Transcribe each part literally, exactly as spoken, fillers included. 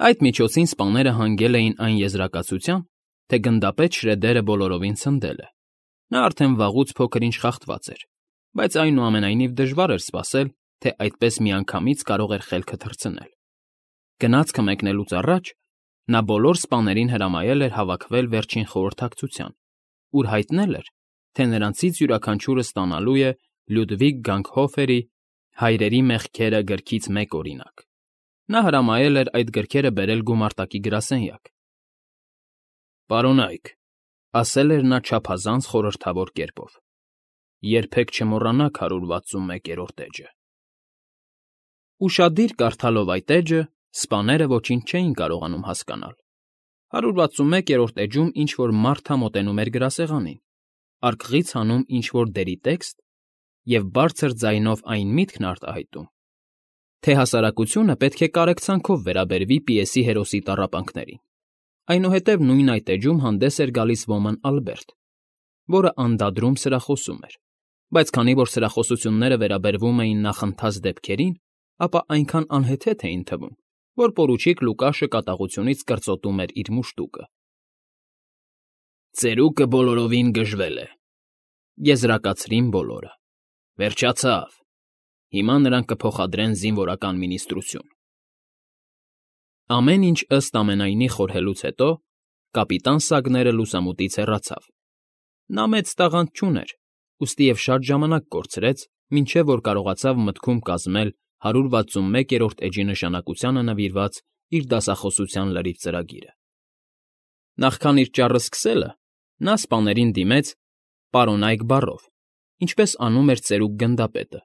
Այդ միջոցին սպաները հանգել էին այն եզրակացության, թե գնդապետ Շրեդերը բոլորովին ցնդել է. նա արդեն վաղուց փոքր-ինչ խախտված էր, բայց այնուամենայնիվ դժվար էր սպասել, թե այդպես միանգամից կարող էր խելքը թռցնել։ Գնացքը մեկնելուց առաջ նա բոլոր սպաներին հրամայել էր հավաքվել վերջին խորհրդակցության, ուր հայտնել էր, թե նրանցից յուրաքանչյուրը ստանալու է Լյուդվիգ Գանգհոֆերի «Հայրերի մեղքերը» գրքից մեկ օրինակ։ Նա հրամայել էր այդ գրքերը բերել գումարտակի գրասենյակ։ «Պարոնայք», ասել էր նա չափազանց խորհրդավոր կերպով, երբեք չմոռանաք հարյուր վաթսունմեկերորդ էջը։ Ուշադիր կարդալով այդ էջը, սպաները ոչինչ չէին կարողանում հասկանալ։ հարյուր վաթսունմեկերորդ էջում ինչ֊որ մարդ է մոտենում էր գրասեղանին, արկղից հանում ինչ֊որ դերի տեքստ և բարձր ձայնով այն միտքն արտահայտում, թե հասարակությունը պետք է կարեկցանքով վերաբերվի պիեսի հերոսի տառապանքներին։ Այնուհետև նույն այդ էջում հանդես էր գալիս ոմն Ալբերտ, որը անդադրում սրախոսում էր, բայց քանի որ սրախոսությունները վերաբերվում էին նախընթաց դեպքերին, ապա այնքան անհեթեթ էին թվում, որ պորուչիկ Լուկաշը կատաղությունից կրծոտում էր իր մուշտուկը։ «Ծերուկը բոլորովին գժվել է», եզրակացրին բոլորը։ «Վերջացավ։ Հիմա նրան կփոխադրեն զինվորական մինիստրություն»։ Ամեն ինչ ըստ ամենայնի խորհելուց հետո կապիտան Սագները լուսամուտից հեռացավ։ Նա մեծ տաղանդ չուներ, ուստի և շատ ժամանակ կորցրեց, մինչև որ կարողացավ մտքում կազմել հարյուր վաթսունմեկերորդ էջի նշանակությանը նվիրված իր դասախոսության լրիվ ծրագիրը։ Նախքան իր ճառը սկսելը, նա սպաներին դիմեց «պարոնայք» բառով, ինչպես անում էր ծերուկ գնդապետը,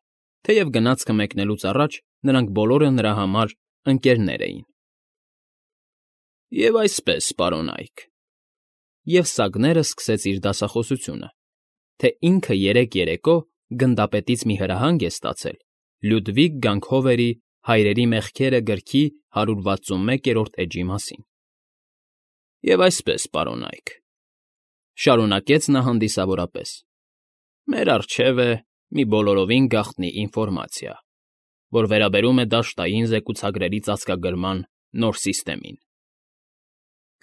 թեև գնացքը մեկնելուց առաջ նրանք բոլորը նրա համար ընկերներ էին։ «Եվ այսպես, պարոնայք», և Սագները սկսեց իր դասախոսությունը, թե ինքը երեք երեկո գնդապետից մի հրահանգ է ստացել Լյուդվիգ Գանգհոֆերի «Հայրերի մեղքերը» գրքի հարյուր վաթսունմեկերորդ էջի մասին։ «Եվ այսպես, պարոնայք», շարունակեց նա հանդիսավորապես, մեր առջև է մի բոլորովին գաղտնի ինֆորմացիա, որ վերաբերում է դաշտային զեկուցագրերի ծածկագրման նոր սիստեմին։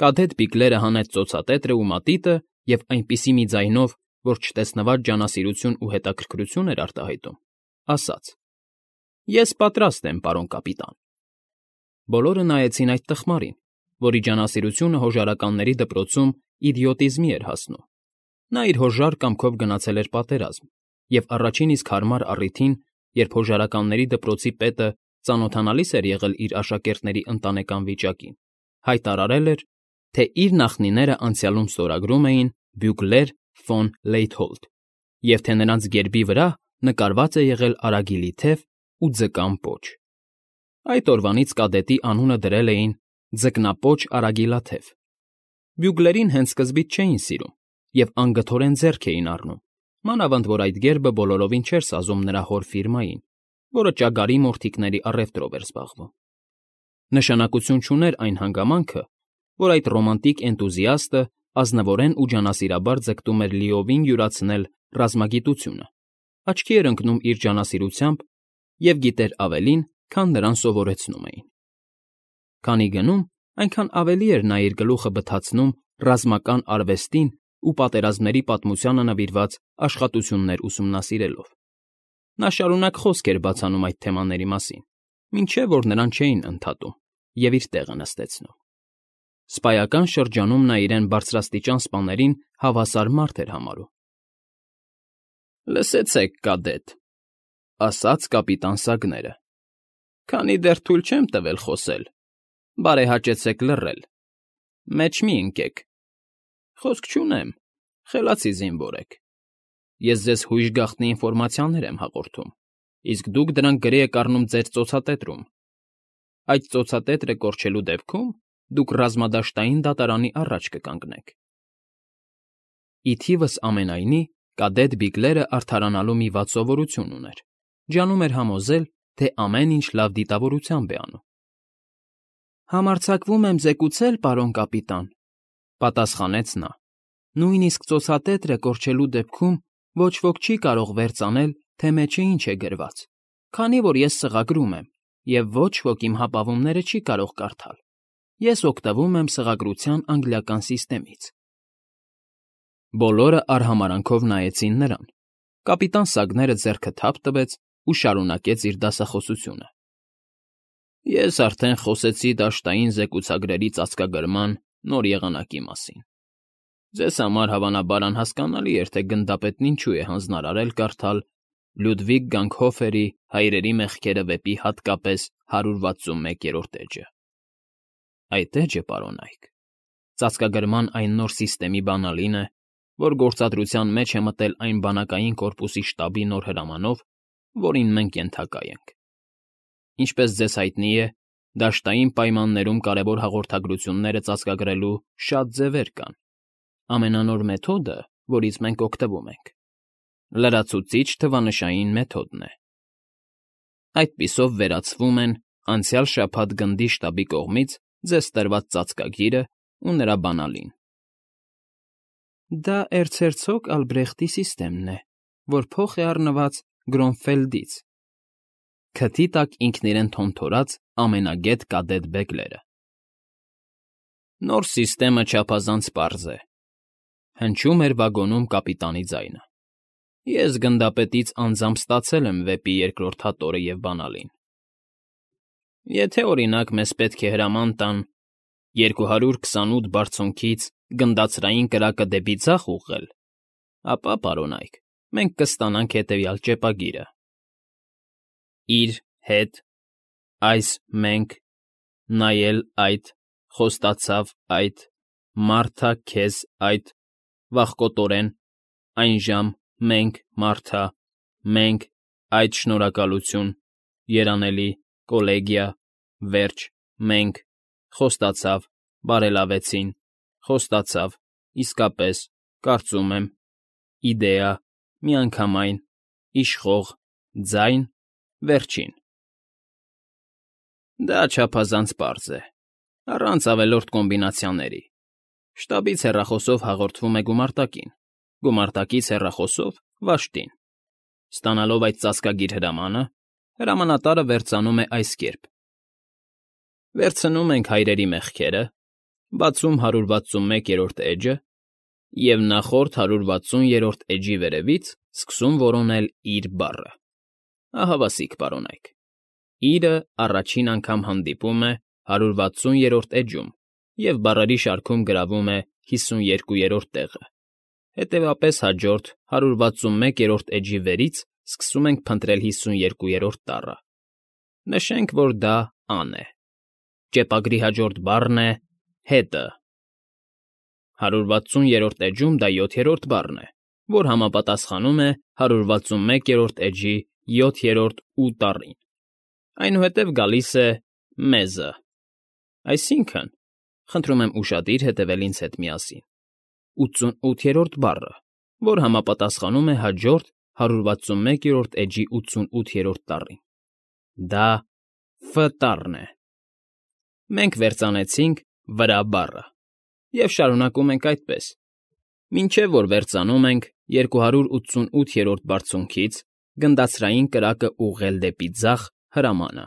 Կադետ Բիգլերը հանեց ծոցատետրը ու մատիտը և այնպիսի մի ձայնով, որ չտեսնված ջանասիրություն ու հետաքրքրություն էր արտահայտում, ասաց. «Ես պատրաստ եմ, պարոն կապիտան»։ Բոլորը նայեցին այդ տխմարին, որի ջանասիրությունը հոժարականների դպրոցում իդիոտիզմի էր հասնում։ Նա իր հոժար կամքով գնացել էր պատերազմ և առաջին իսկ հարմար առիթին, երբ հոժարականների դպրոցի պետը ծանոթանալիս էր եղել իր աշակերտների ընտանեկան վիճակին, հայտարարել էր, թե իր նախնիները անցյալում ստորագրում էին Բյուգլեր ֆոն Լեյթհոլտ և թե նրանց գերբի վրա նկարված է եղել արագիլի թև ու ձկան պոչ։ Այդ օրվանից կադետի անունը դրել էին Ձկնապոչ Արագիլաթև։ Բյուգլերին հենց սկզբից չէին սիրում և անգթորեն ձեռք էին առնում, մանավանդ որ այդ գերբը բոլորովին չէր սազում նրա հոր ֆիրմային, որը ճագարի մորթիկների առևտրով էր զբաղվում։ Նշանակություն չուներ այն հանգամանքը, որ այդ ռոմանտիկ էնտուզիաստը ազնվորեն ու ջանասիրաբար ձգտում էր լիովին յուրացնել ռազմագիտությունը, աչքի էր ընկնում իր ջանասիրությամբ և գիտեր ավելին, քան նրան սովորեցնում էին։ Քանի գնում, այնքան ավելի էր նա իր գլուխը բթացնում ռազմական արվեստին ու պատերազմների պատմությանը նվիրված աշխատություններ ուսումնասիրելով։ Նա շարունակ խոսք էր բացանում այդ թեմաների մասին, մինչև որ նրան չէին ընդհատում և իր տեղը նստեցնում։ Սպայական շրջանում նա իրեն բարձրաստիճան սպաներին հավասար մարդ էր համարում։ «Լսեցեք, կադետ», ասաց կապիտան Սագները, «քանի դեռ թույլ չեմ տվել խոսել, բարեհաճեցեք լռել, մեջ մի ընկեք։ Խոսք չունեմ, խելացի զինվոր եք։ Ես ձեզ հույժ գաղտնի ինֆորմացիաներ եմ հաղորդում, իսկ դուք դրանք գրի եք առնում ձեր ծոցատետրում։ Այդ ծոցատետրը կորչելու դեպքում դուք ռազմադաշտային դատարանի առաջ կկանգնեք»։ Ի թիվս ամենայնի կադետ Բիգլերը արդարանալու մի վատ սովորություն ուներ. ջանում էր համոզել, թե ամեն ինչ լավ դիտավորությամբ է անում։ «Համարձակվում եմ զեկուցել, պարոն կապիտան», պատասխանեց նա, «նույնիսկ ծոցատետրը կորչելու դեպքում ոչ ոք չի կարող վերծանել, թե մեջը ինչ է գրված, քանի որ ես սղագրում եմ, և ոչ ոք իմ հապավումները չի կարող կարդալ։ Ես օգտվում եմ սղագրության անգլիական սիստեմից։ Բոլորը արհամարանքով նայեցին նրան։ Կապիտան Սագները ձեռքը թափ տվեց ու շարունակեց իր դասախոսությունը։ Ես արդեն խոսեցի դաշտային զեկուցագրերի ծածկագրման նոր եղանակի մասին։ Ձեզ համար հավանաբար անհասկանալի էր, թե գնդապետն ինչու է հանձնարարել կարդալ Լյուդվիգ Գանգհոֆերի «Հայրերի մեղքերը» վեպի հատկապես հարյուր վաթսունմեկերորդ էջը։ Այդ էջը, պարոն Այք, ծածկագրման այն նոր սիստեմի բանալին է, որ գործադրության մեջ է մտել այն բանակային կորպուսի շտաբի նոր հրամանով, որին մենք ենթակա ենք։ Ինչպես ձեզ հայտնի է, դաշտային պայմաններում կարևոր հաղորդագրությունները ծածկագրելու շատ ձևեր կան։ Ամենանոր մեթոդը, որից մենք օգտվում ենք, լրացուցիչ թվանշային մեթոդն է։ Այդպիսով վերացվում են անցյալ շաբաթ գնդի շտաբի կողմից ձեզ տրված ծածկագիրը ու նրա բանալին։ Դա էրցհերցոգ Ալբրեխտի սիստեմն է, որ փոխ է առնված Գրոնֆելդից, քթի տակ ինքն իրեն թոնթորած ամենագետ կադետ Բեգլերը։ Նոր սիստեմը չափազանց պարզ է, հնչում էր վագոնում կապիտանի ձայնը։ Ես գնդապետից անձամբ ստացել եմ վեպի երկրորդ հատորը և բանալին։ Եթե, օրինակ, մեզ պետք է հրաման տան երկու հարյուր քսանութ բարձունքից գնդացրային կրակը դեպի ձախ ուղղել, ապա, պարոն Այք, մենք կստանանք հետևյալ ճեպագիրը. իր հետ, այս մենք, նայել այդ, խոստացավ այդ, մարդա քեզ այդ, վախկոտորեն, այն ժամ, մենք, մարդա, մենք, այդ շնորհակալություն, երանելի, կոլեգիա, վերջ, մենք, խոստացավ, բարելավեցին, խոստացավ, իսկապես, կարծում եմ, իդեա, միանգամայն, իշխող, ձայն, վերջին։ Դա չափազանց պարզ է, առանց ավելորդ կոմբինացիաների։ Շտաբից հեռախոսով հաղորդվում է գումարտակին, գումարտակից հեռախոսով՝ վաշտին։ Ստանալով այդ ծածկագիր հրամանը, հրամանատարը վերծանում է այս կերպ. վերցնում ենք հայրերի մեղքերը, բացում հարյուր վաթսունմեկերորդ էջը և նախորդ հարյուր վաթսուներորդ էջի վերևից սկսում որոնել իր բառը։ Ահավասիկ, պարոն Այք, իրը առաջին անգամ հանդիպում է հարյուր վաթսուներորդ էջում և բառերի շարքում գրավում է հիսունյոթերորդ տեղը։ Հետևապես հաջորդ հարյուր վաթսունմեկերորդ էջի վերից սկսում ենք փնտրել հիսունյոթերորդ տառը։ Նշենք, որ դա ան է։ Ճեպագրի հաջորդ բառն է հետը։ հարյուր վաթսուներորդ էջում դա յոթերորդ բառն է, որ համապատասխանում է հարյուր վաթսունմեկերորդ էջի յոթերորդ ու տառին։ Այնուհետև գալիս է մեզը, այսինքն՝ խնդրում եմ ուշադիր հետևել ինձ հետ միասին, ութսունութերորդ բառը, որ համապատասխանում է հաջորդ հարյուր վաթսունմեկերորդ էջի ութսունութերորդ տառին։ Դա Ֆ տառն է։ Մենք վերծանեցինք վրա բառը և շարունակում ենք այդպես, մինչև որ վերծանում ենք երկու հարյուր ութսունութերորդ բարձունքից գնդացրային կրակը ուղղել դեպի ձախ հրամանը։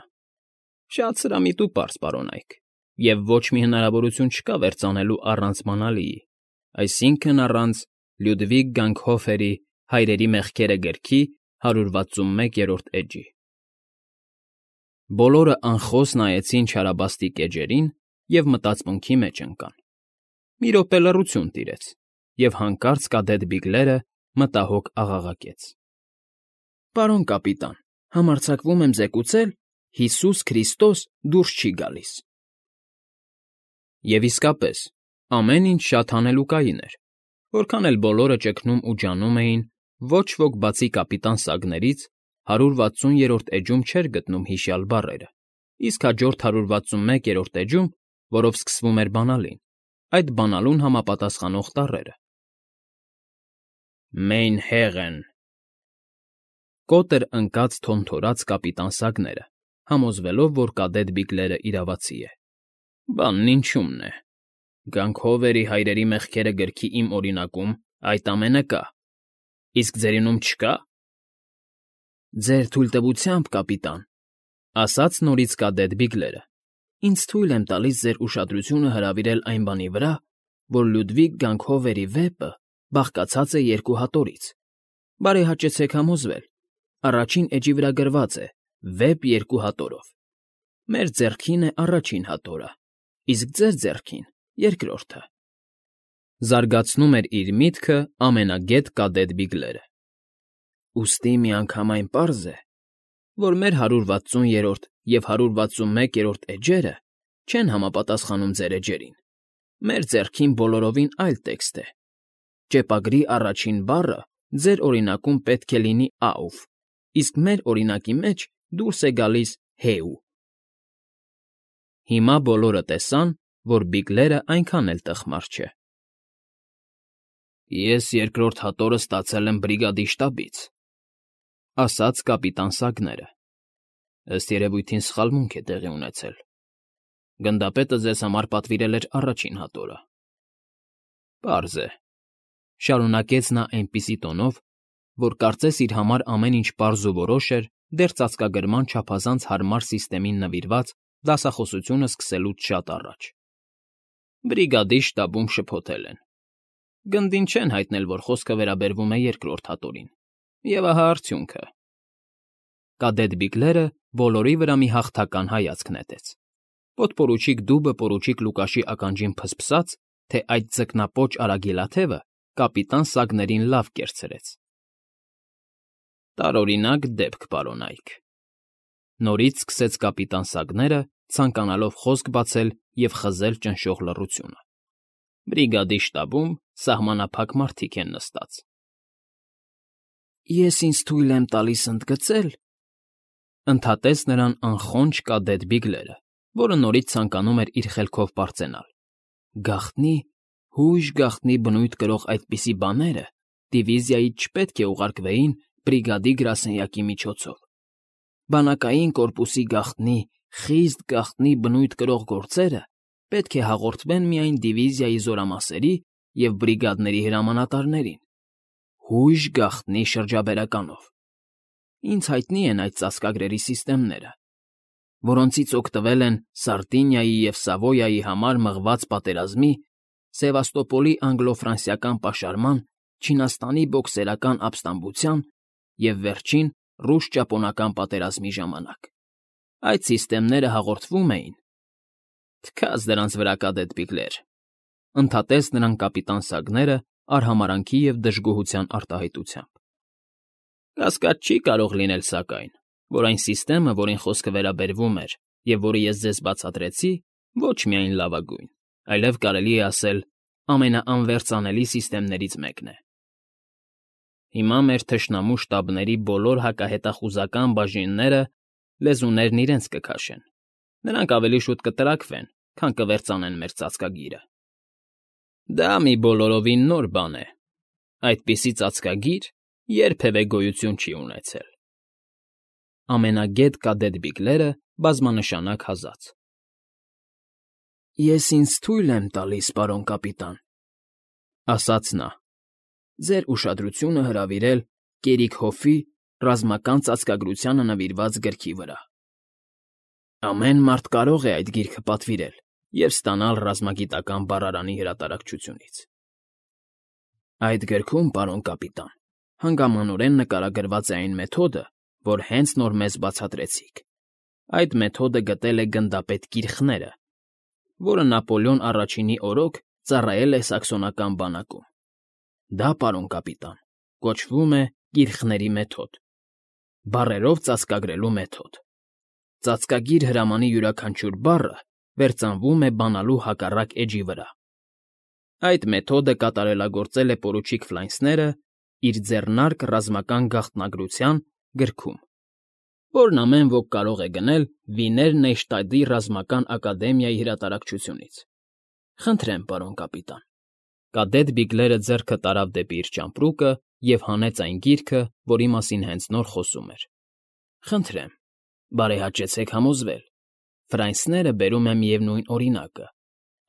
Շատ սրամիտ ու պարզ, պարոն Այք, և ոչ մի հնարավորություն չկա վերծանելու առանց բանալիի, այսինքն՝ առանց Լյուդվիգ Գանգհոֆերի «Հայրերի մեղքերը» գրքի հարյուր վաթսունմեկերորդ էջի։ Բոլորը անխոս նայեցին չարաբաստիկ էջերին և մտածմունքի մեջ ընկան։ Մի րոպե լռություն տիրեց, և հանկարծ կադետ Բիգլերը մտահոգ աղաղակեց. ֊ Պարոն կապիտան, համարձակվում եմ զեկուցել, Հիսուս Քրիստոս դուրս չի գալիս։ Եվ իսկապես, ամեն ինչ շատ հանելուկային էր։ Որքան էլ բոլորը ճգնում ու ջանում էին, ոչ ոք բացի կապիտան Սագներից հարյուր վաթսուներորդ էջում չէր գտնում հիշյալ բառերը, իսկ հաջորդ հարյուր վաթսունմեկերորդ էջում, որով սկսվում էր բանալին, այդ բանալուն համապատասխանող տառերը։ Մեյն Հեղեն… Կոտրը ընկած թոնթորած կապիտան Սագները, համոզվելով, որ կադետ Բիգլերը իրավացի է։ Բանն ինչումն է… Գանգհովերի «Հայրերի մեղքերը» գրքի իմ օրինակում այդ ամենը կա, իսկ ձերինում չկա։ Ձեր թույլտվությամբ, կապիտան, ֊ ասաց նորից կադետ Բիգլերը, Ինձ թույլ եմ տալիս ձեր ուշադրությունը հրավիրել այն բանի վրա, որ Լյուդվիգ Գանքհովերի վեպը բաղկացած է երկու հատորից. բարեհաճեցեք համոզվել, առաջին էջի վրա գրված է «Վեպ երկու հատորով»։ Մեր ձեռքին է առաջին հատորը, իսկ ձեր ձեռքին՝ երկրորդը։ Զարգացնում էր իր միտքը ամենագետ կադետ Բիգլերը։ Ուստի միանգամայն պարզ է, որ մեր հարյուր վաթսուներորդ և հարյուր վաթսունմեկերորդ էջերը չեն համապատասխանում ձեր էջերին։ Մեր ձեռքին բոլորովին այլ տեքստ է։ Ճեպագրի առաջին բառը ձեր օրինակում պետք է լինի «աուֆ», իսկ մեր օրինակի մեջ դուրս է գալիս «հեու»։ Հիմա բոլորը տեսան, որ Բիգլերը այնքան էլ տխմար չէ։ Ես երկրորդ հատորը ստացել եմ բրիգադի շտաբից, ասաց կապիտան Սագները։ Ըստ երևույթին սխալմունք է տեղի ունեցել։ Գնդապետը ձեզ համար պատվիրել էր առաջին հատորը։ Պարզ է, շարունակեց նա այնպիսի տոնով, որ կարծես իր համար ամեն ինչ պարզ ու որոշ էր դեռ ծածկագրման չափազանց հարմար սիստեմին նվիրված դասախոսությունը սկսելուց շատ առաջ։ Բրիգադի շտաբում շփոթել են։ Գնդին չեն հայտնել, որ խոսքը վերաբերվում է երկրորդ հատորին։ Եվ ահա արդյունքը։ Կադետ Բիգլերը բոլորի վրա մի հաղթական հայացք նետեց։ Պոդպորուչիկ Դուբը պորուչիկ Լուկաշի ականջին փսփսաց, թե այդ ձկնապոչ արագիլաթևը կապիտան Սագներին լավ կերցրեց։ Տարօրինակ դեպք, պարոն Այք։ Նորից սկսեց կապիտան Սագները, ցանկանալով խոսք բացել և խզել ճնշող լռությունը։ Բրիգադի շտաբում սահմանափակ մարդիկ են նստած։ Ես ինձ թույլ եմ տալիս ընդգծել, ընդհատեց նրան անխոնջ կադետ Բիգլերը, որը նորից ցանկանում էր իր խելքով պարծենալ։ Գաղտնի, հույժ գաղտնի բնույթ կրող այդպիսի բաները դիվիզիայից չպետք է ուղարկվեին բրիգադի գրասենյակի միջոցով։ Բանակային կորպուսի գաղտնի, խիստ գաղտնի բնույթ կրող գործերը պետք է հաղորդվեն միայն դիվիզիայի զորամասերի և բրիգադների հրամանատարներին, հույժ գաղտնի շրջաբերականով։ Ինձ հայտնի են այդ ծածկագրերի սիստեմները, որոնցից օգտվել են Սարդինիայի և Սավոյայի համար մղված պատերազմի, Սևաստոպոլի անգլո֊ֆրանսիական պաշարման, Չինաստանի բոքսերական ապստամբության և վերջին ռուս֊ճապոնական պատերազմի ժամանակ։ Այդ սիստեմները հաղորդվում էին… Թքած դրանց վրա, կադետ Բիգլեր, ընդհատեց նրան կապիտան Սագները արհամարհանքի և դժգոհության արտահայտությամբ։ Կասկած չի կարող լինել, սակայն, որ այն սիստեմը, որին խոսքը վերաբերվում էր և որը ես ձեզ բացատրեցի, ոչ միայն լավագույն, այլև կարելի է ասել ամենաանվերծանելի սիստեմներից մեկն է։ Հիմա մեր թշնամու շտաբների բոլոր հակահետախուզական բաժինները լեզուներն իրենց կքաշեն։ Նրանք ավելի շուտ կտրաքվեն, քան կվերծանեն մեր ծածկագիրը։ Դա մի բոլորովին նոր բան է։ Այդպիսի ծածկագիր երբևէ գոյություն չի ունեցել։ Ամենագետ կադետ Բիգլերը բազմանշանակ հազաց։ Ես ինձ թույլ եմ տալիս, պարոն կապիտան, ասաց նա, ձեր ուշադրությունը հրավիրել Կերիգհոֆի ռազմական ծածկագրությանը նվիրված գրքի վրա։ Ամեն մարդ կարող է այդ գիրքը պատվիրել և ստանալ ռազմագիտական բառարանի հրատարակչությունից։ Այդ գրքում, պարոն կապիտան, հանգամանորեն նկարագրված է այն մեթոդը, որ հենց նոր մեզ բացատրեցիք։ Այդ մեթոդը գտել է գնդապետ Կիրխները, որը Նապոլեոն Առաջինի օրոք ծառայել է սաքսոնական բանակում։ Դա, պարոն կապիտան, կոչվում է Կիրխների մեթոդ, բառերով ծածկագրելու մեթոդ։ Ծածկագիր հրամանի յուրաքանչյուր բառը վերծանվում է բանալու հակառակ էջի վրա։ Այդ մեթոդը կատարելագործել է պորուչիկ Ֆլայնսները իր «Ձեռնարկ ռազմական գաղտնագրության» գրքում, որն ամեն ոք կարող է գնել Վիներ Նեյշտադտի ռազմական ակադեմիայի հրատարակչությունից։ Խնդրեմ, պարոն կապիտան։ Կադետ Բիգլերը ձեռքը տարավ դեպի իր ճամպրուկը և հանեց այն գիրքը, որի մասին հենց նոր խոսում էր։ Խնդրեմ, բարեհաճեցեք համոզվել, Ֆրայնսները բերում է միևնույն օրինակը,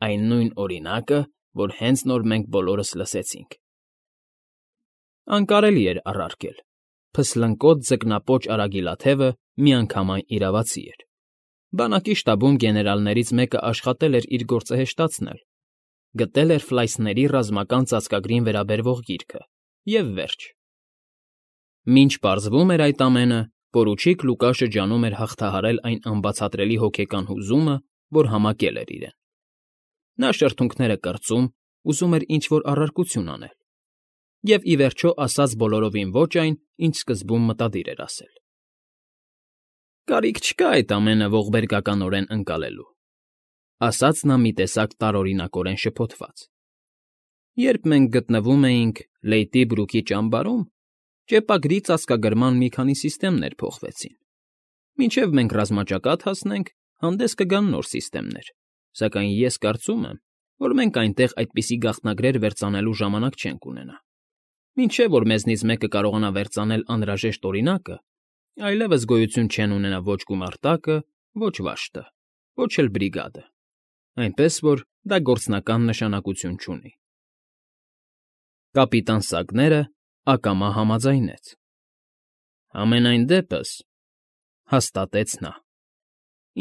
այն նույն օրինակը, որ հենց նոր մենք բոլորս լսեցինք։ Անկարելի էր առարկել, փսլնկոտ ձկնապոչ արագիլաթևը միանգամայն իրավացի էր։ Բանակի շտաբում գեներալներից մեկը աշխատել էր իր գործը հեշտացնել, գտել էր Ֆլայսների ռազմական ծածկագրին վերաբերվող գիրքը, և վերջ։ Մինչ պարզվում էր այդ ամենը, պորուչիկ Լուկա շրջանում էր հաղթահարել այն անբացատրելի հոգեկան հուզումը, որ համակել էր իրեն։ Նա շրթունքները կրծում, ուզում էր ինչ-որ առարկություն անել, և, ի վերջո, ասաց բոլորովին ոչ այն, ինչ սկզբում մտադիր էր ասել։ «Կարիք չկա այդ ամենը ողբերգականորեն ընկալելու», ասաց նա մի տեսակ տարօրինակորեն շփոթված։ «Երբ մենք գտնվում էինք Լեյտի Բրուքի ճամբարում, ճեպագրի ծածկագրման մի քանի սիստեմներ փոխվեցին։ Մինչև մենք ռազմաճակատ հասնենք, հանդես կգան նոր սիստեմներ, սակայն ես կարծում եմ, որ մենք այնտեղ այդպիսի գաղտնագրեր վերծանելու ժամանակ չենք ունենա։ Մինչև որ մեզնից մեկը կարողանա վերծանել անհրաժեշտ օրինակը, այլևս գոյություն չեն ունենա ոչ գումարտակը, ոչ վաշտը, ոչ էլ բրիգադը, այնպես որ դա գործնական նշանակություն չունի»։ Կապիտան Սագները ակամա համաձայնեց։ «Համենայն դեպս,֊ հաստատեց նա,֊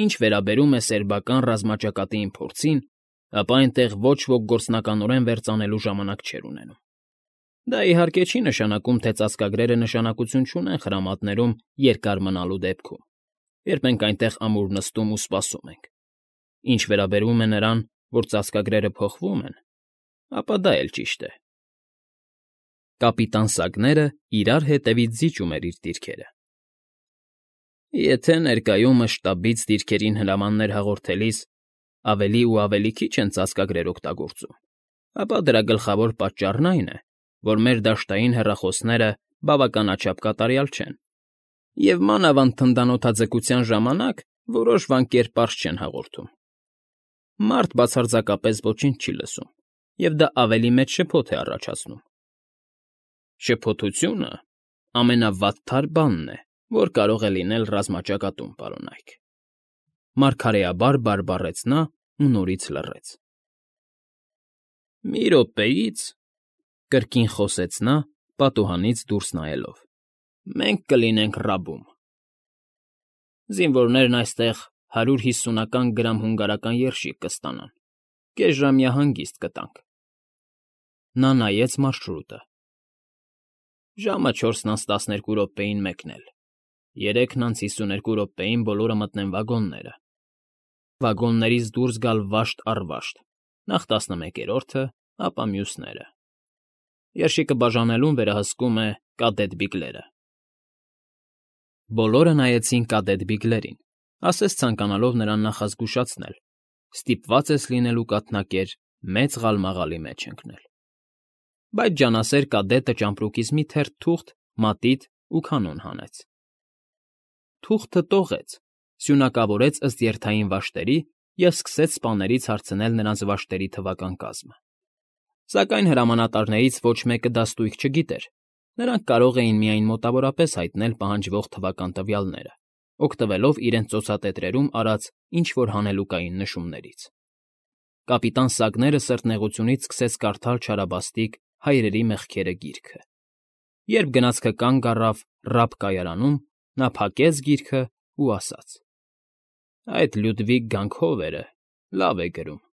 ինչ վերաբերում է սերբական ռազմաճակատի փորձին, ապա այնտեղ ոչ ոք գործնականորեն վերծանելու ժամանակ չէր ունենում։ Դա, իհարկե, չի նշանակում, թե ծածկագրերը նշանակություն չունեն խրամատներում երկար մնալու դեպքում, երբ մենք այնտեղ ամուր նստում ու սպասում ենք։ Ինչ վերաբերում է նրան, որ ծածկագրերը փոխվում են, ապա դա էլ ճիշտ է»։ Կապիտան Սագները իրար հետևից զիջում էր իր դիրքերը։ «Եթե ներկայումս շտաբից դիրքերին հրամաններ հաղորդելիս ավելի ու ավելի քիչ են ծածկագրեր օգտագործում, ապա դրա գլխավոր պատճառն այն է, որ մեր դաշտային հեռախոսները բավականաչափ կատարյալ չեն, և մանավանդ թնդանոթաձգության ժամանակ որոշ վանքեր պարզ չեն հաղորդում։ Մարդ բացարձակապես ոչինչ չի լսում, և դա ավելի մեծ շփոթ է առաջացնում։ Շփոթությունը ամենավատթար բանն է, որ կարող է լինել ռազմաճակատում, պարոնայք», մարգարեաբար բարբառեց նա ու նորից լռեց։ «Մի րոպեից,֊ կրկին խոսեց նա, պատուհանից դուրս նայելով,֊ մենք կլինենք Ռաբում։ Զինվորներն այստեղ հարյուր հիսունական գրամ հունգարական երշիկ կստանան, կեսժամյա հանգիստ կտանք»։ Նա նայեց մարշրուտը։ «Ժամը չորսն անց տասներկու րոպեին մեկն էլ, երեքն անց հիսուներկու րոպեին բոլորը մտնեն վագոնները, վագոններից դուրս գալ վաշտ առ վաշտ, նախ տասնմեկերորդը, ապա մյուսները։ Երշիկը բաժանելուն վերահսկում է կադետ Բիգլերը»։ Բոլորը նայեցին կադետ Բիգլերին, ասես ցանկանալով նրան նախազգուշացնել. ստիպված ես լինելու կաթնակեր մեծ ղալմաղալի մեջ ընկնել։ Բայց ջանասեր կադետը ճամպրուկից մի թերթ թուղթ, մատիտ ու կանոն հանեց։ Թուղթը տողեց, սյունակավորեց ըստ երթային վաշտերի և սկսեց սպաներից հարցնել նրանց վաշտերի թվական կազմը։ Սակայն հրամանատարներից ոչ մեկը դաստույք չգիտեր, նրանք կարող էին միայն մոտավորապես հայտնել պահանջվող թվական տվյալները, օգտվելով իրենց ծոցատետրերում արած ինչ֊որ հանելուկային նշումներից։ Կապիտան Սագները սրտնեղությունից սկսեց կարդալ չարաբաստիկ «Հայրերի մեղքերը» գիրքը։ Երբ գնացքը կանգ առավ Ռաբ կայարանում, նա փակեց գիրքը ու ասաց. «Այդ Լյուդվիգ Գանգհովերը լավ է գրում»։